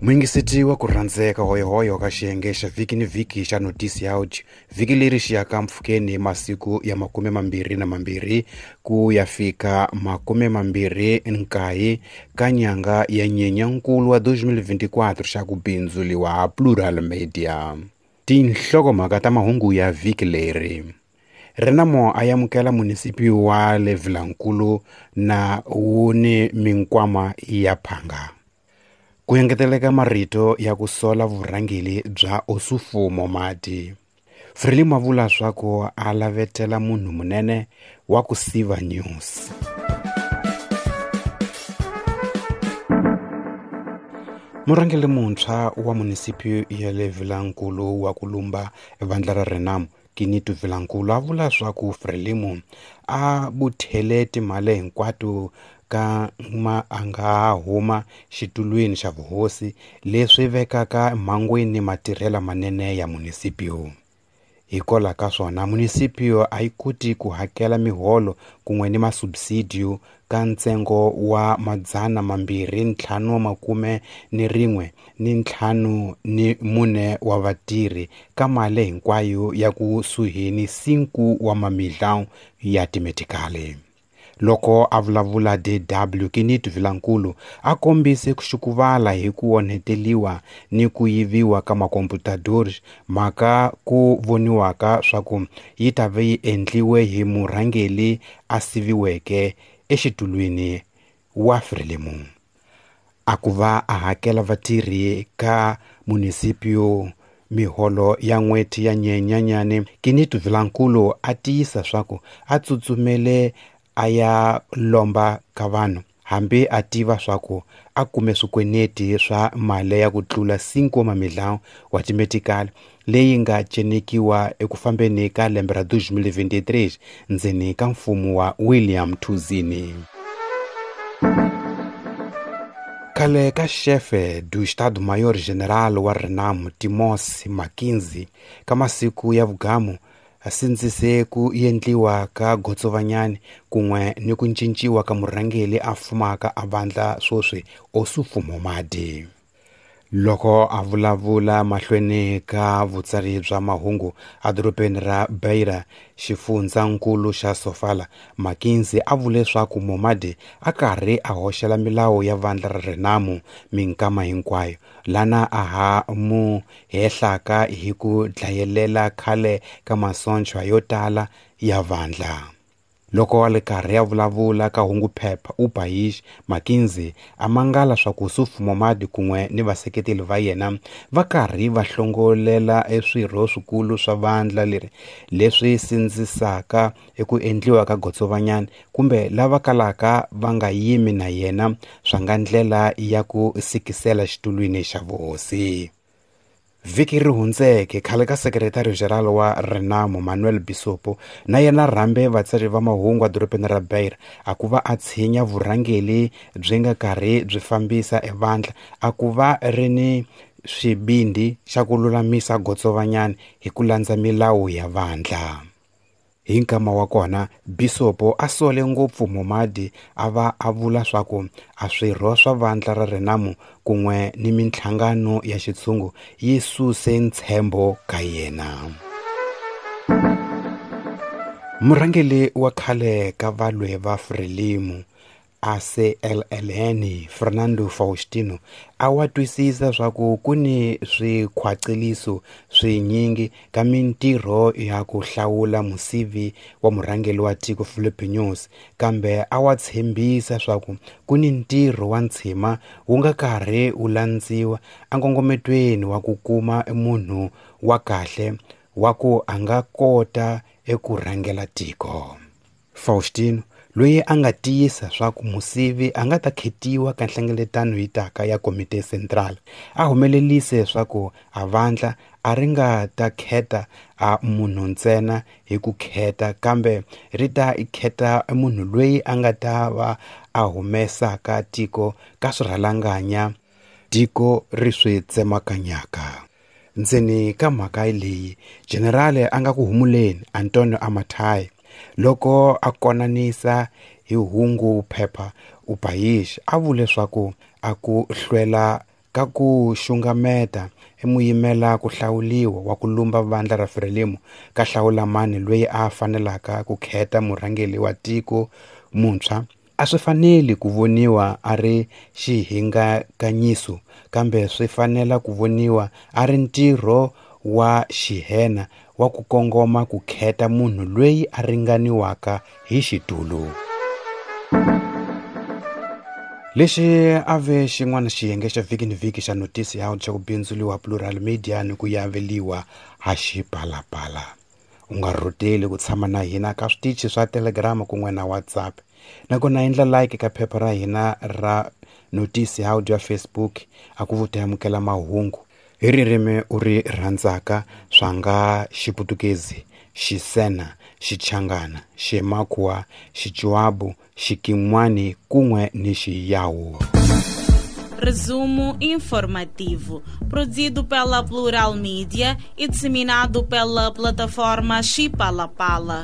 Muyingiseti wa ku rhandzeka hoyohoyo ka xiyenge xa vhiki ni vhiki xa notisi ya audio vhiki leri xi yaka mpfhukeni masiku ya 22 ku ya fika 29 ka nyanga ya Nyenyankulu wa 2024 xa ku bindzuliwa Plural Media. Tinhlokomhaka ta mahungu ya vhiki leri. Renamo a amukela munisipi wa le Vilankulu na wu ni minkwama ya phanga. Ku engeteleka marito ya ku sola vurhangeri bya Ossufo Momade. Frelimo a vula swa ku a lavetela munhu munene wa ku siva news. Murhangeri muntshwa wa munisipi ya le Vilankulu wa ku lumba vandla ra Renamo Kinito Vilankulu a vula swa ku Frelimo a buthele timali hinkwato ka ma a nga huma xitulwini xa vuhosi leswi vekaka mhangwini matirhelo manene ya munisipio. Hikwalaho ka swona munisipio a yi koti ku hakela miholo kun'we ni masubsidio ka ntsengo wa 251 wa vatirhi ka mali hinkwayo ya kusuhi ni 5 wa mamillion ya timetikali. Loko a vulavula DW Kinito Vilankulu a kombise ku xukuvala hi ku onheteliwa ni ku yiviwa ka makomputadori, mhaka ku voniwaka swa ku yi ta ve yi endliwe hi murhangeri a siviweke exitulwini wa Frelimo. A ku va a hakela vatirhi ka munisipio miholo ya n'hweti ya Nyenyanyani, Kinito Vilankulu a tiyisa swa ku a tsutsumele a ya lomba ka vanhu hambi a tiva swa ku a kume swikweneti swa mali ya ku tlula 5 mamillion wa timetikali leyi nga cenekiwa eku fambeni ka lembe ra 2023 ndzeni ka mfumo wa William Thuzini. Khale ka xefe du Estado-Maior General wa Renamo Timos Mackenzie ka masiku ya vugamu a sindzise ku endliwa ka gotsovanyani kun'we ni ku cinciwa ka murhangeri a fumaka a vandla sweswi Ossufo Momade. Loko a vulavula mahlweni ka vutsari bya mahungu edorobeni ra Beira, xifundzankulu xa Sofala, Mackenzie a vule swa ku Momade a karhi a hoxela milawu ya vandla ra Renamo minkama hinkwayo, lana a ha mu hehlaka hi ku dlayelela khale ka masocha yo tala ya vandla. Loko a ri karhi a vulavula ka hunguphepha O País, Mackenzie a mangala swa ku Ossufo Momade kun'we ni vaseketeli va yena va karhi va hlongolela eswirho swikulu swa vandla leri leswi sindzisaka eku endliwa ka gotsovanyani kumbe lava kalaka va nga yimi na yena swa nga ndlela ya ku sikisela xitulwini xa vuhosi. Vhiki ri hundzeke khale ka sekretari general wa Renamo Manuel Bisopo na yena rhambe vatsari va mahungu edorobeni ra Beira a ku va a tshinya vurhangeri byi nga karhi byi fambisa evandla a ku va ri ni swibindi xa ku lulamisa gotsovanyani hi ku landza milawu ya vandla. Hi nkama wa kona Bisopo a sole ngopfu Momade a va a vula swa ku a swirho swa vandla ra Renamo kun'we ni minhlangano ya xitshungu yi suse ntshembo ka yena. Murhangeri wa khale ka valwe va Frelimo ACLLN Fernando Faustino a wa twisisa swa ku ku ni swikhwaceliso swinyingi ka mintirho ya ku hlawula musivi wa murhangeri wa tiko Filipe Nyusi, kambe a wa tshembisa swa ku ku ni ntirho wa ntshima wu nga karhi wu landziwa enkongometweni wa ku kuma munhu wa kahle wa ku a nga kota eku rhangela tiko. Faustino loyi a nga tiyisa swa ku musivi a nga ta khetiwa ka nhlengeletano yi taka ya Komite Central a humelelise swa ku a vandla a ri nga ta kheta a munhu ntsena hi ku kheta kambe ri ta kheta munhu loyi a nga ta va a humesaka tiko ka swirhalanganya tiko ri swi tsemakanyaka. Ndzeni ka mhaka leyi general a nga ku humuleni Antonio Amatai loko a konanisa hi hungu phepha O País a vule swa ku a ku hlwela Ka ku xungameta i muyimela ku hlawuliwa wa ku lumba vandla ra Frelimo ka hlawula mani lweyi a fanelaka ku kheta murhangeli wa tiko muntshwa a swi faneli ku voniwa a ri xihingakanyiso kambe swi fanela ku voniwa a ri ntirho wa xihena wa ku kongoma ku kheta munhu lweyi a ringaniwaka hi xitulu. Lexi a ve xin'wana xiyenge xa vhiki ni vhiki xa notisi ya xa ku bindzuliwa Plural Media ni ku yaveliwa ha Xipalapala. U nga rhuteli ku tshama na hina ka switichi swa Telegram kun'we na WhatsApp. Nakona endla like ka phepha ra hina ra notisi ya audio ya Facebook a ku vuta amukela mahungu hi ririmi u ri rhandzaka swa nga Xiputukezi, Xisena, Xichangana, Ximakhuwa, Xichuabu, Xikin'wani kun'we ni Xiyawu. Resumo informativo, produzido pela Plural Mídia e disseminado pela plataforma Xipalapala.